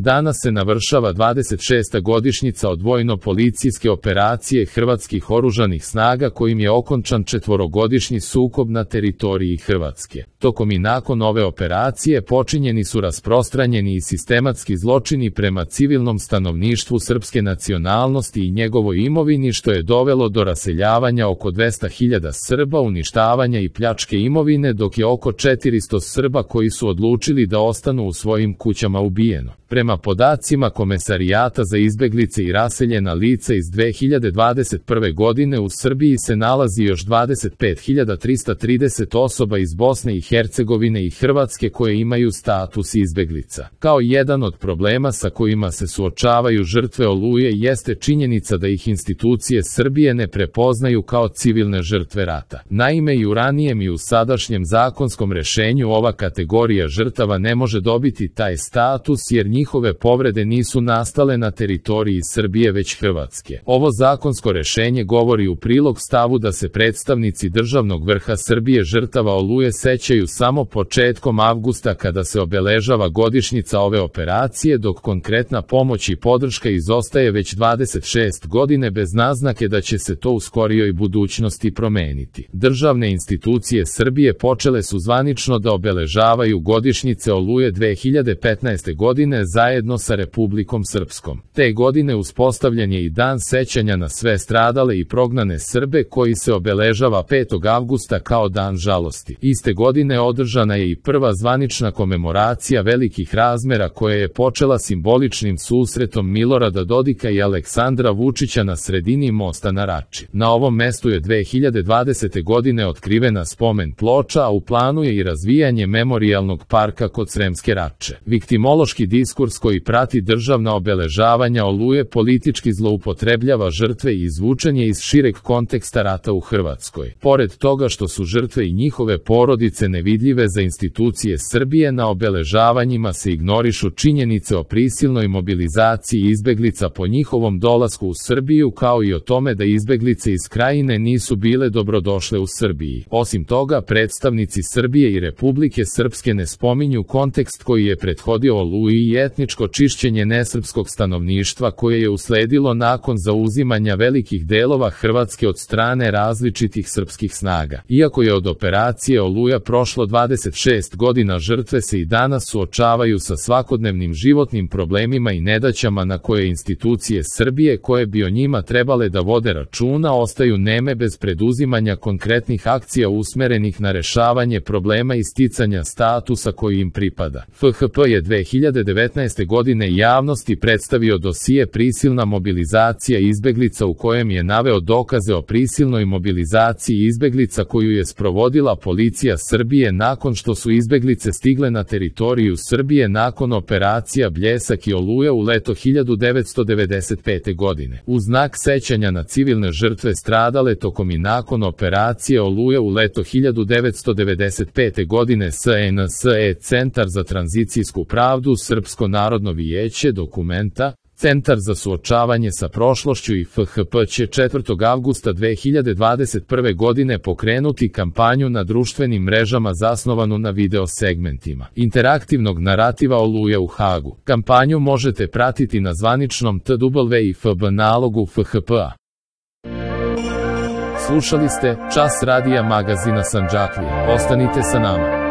Danas se navršava 26. godišnjica od vojno-policijske operacije hrvatskih oružanih snaga kojim je okončan četvorogodišnji sukob na teritoriji Hrvatske. Tokom i nakon ove operacije počinjeni su rasprostranjeni i sistematski zločini prema civilnom stanovništvu srpske nacionalnosti i njegovoj imovini, što je dovelo do raseljavanja oko 200.000 Srba, uništavanja i pljačke imovine, dok je oko 400 Srba koji su odlučili da ostanu u svojim kućama ubijeno. Prema podacima Komesarijata za izbeglice i raseljena lica iz 2021. godine u Srbiji se nalazi još 25.330 osoba iz Bosne i Hercegovine i Hrvatske koje imaju status izbeglica. Kao jedan od problema sa kojima se suočavaju žrtve Oluje jeste činjenica da ih institucije Srbije ne prepoznaju kao civilne žrtve rata. Naime, i u ranijem i u sadašnjem zakonskom rešenju ova kategorija žrtava ne može dobiti taj status jer njihove povrede nisu nastale na teritoriji Srbije već Hrvatske. Ovo zakonsko rešenje govori u prilog stavu da se predstavnici državnog vrha Srbije žrtava Oluje sećaju samo početkom avgusta kada se obeležava godišnjica ove operacije, dok konkretna pomoć i podrška izostaje već 26 godine bez naznake da će se to u skorijoj budućnosti promeniti. Državne institucije Srbije počele su zvanično da obeležavaju godišnjice Oluje 2015. godine zajedno sa Republikom Srpskom. Te godine uspostavljen je i dan sećanja na sve stradale i prognane Srbe koji se obeležava 5. avgusta kao dan žalosti. Iste godine održana je i prva zvanična komemoracija velikih razmera koja je počela simboličnim susretom Milorada Dodika i Aleksandra Vučića na sredini mosta na Rači. Na ovom mestu je 2020. godine otkrivena spomen ploča, a u planu je i razvijanje memorijalnog parka kod Sremske Rače. Viktimološki diskurs koji prati državna obeležavanja Oluje politički zloupotrebljava žrtve i izvučen je iz šireg konteksta rata u Hrvatskoj. Pored toga što su žrtve i njihove porodice nevidljive za institucije Srbije, na obeležavanjima se ignorišu činjenice o prisilnoj mobilizaciji izbeglica po njihovom dolasku u Srbiju, kao i o tome da izbeglice iz Krajine nisu bile dobrodošle u Srbiji. Osim toga, predstavnici Srbije i Republike Srpske ne spominju kontekst koji je prethodio Oluji i etničko čišćenje nesrpskog stanovništva koje je usledilo nakon zauzimanja velikih delova Hrvatske od strane različitih srpskih snaga. Iako je od operacije Oluja prošlo 26 godina, žrtve se i danas suočavaju sa svakodnevnim životnim problemima i nedaćama na koje institucije Srbije, koje bi o njima trebale da vode računa, ostaju neme bez preduzimanja konkretnih akcija usmerenih na rešavanje problema i sticanja statusa koji im pripada. FHP je 2019. godine javnosti predstavio dosije Prisilna mobilizacija izbeglica, u kojem je naveo dokaze o prisilnoj mobilizaciji izbeglica koju je sprovodila policija Srbije nakon što su izbeglice stigle na teritoriju Srbije nakon operacija Bljesak i Oluja u leto 1995. godine. U znak sećanja na civilne žrtve stradale tokom i nakon operacije Oluja u leto 1995. godine SNS Centar za tranzicijsku pravdu, Srpsko narodno vijeće, Dokumenta, Centar za suočavanje sa prošlošću i FHP će 4. avgusta 2021. godine pokrenuti kampanju na društvenim mrežama zasnovanu na video segmentima interaktivnog narativa Oluja u Hagu. Kampanju možete pratiti na zvaničnom TWIFB nalogu FHP-a. Slušali ste Čas radija magazina Sandžaklija. Ostanite sa nama.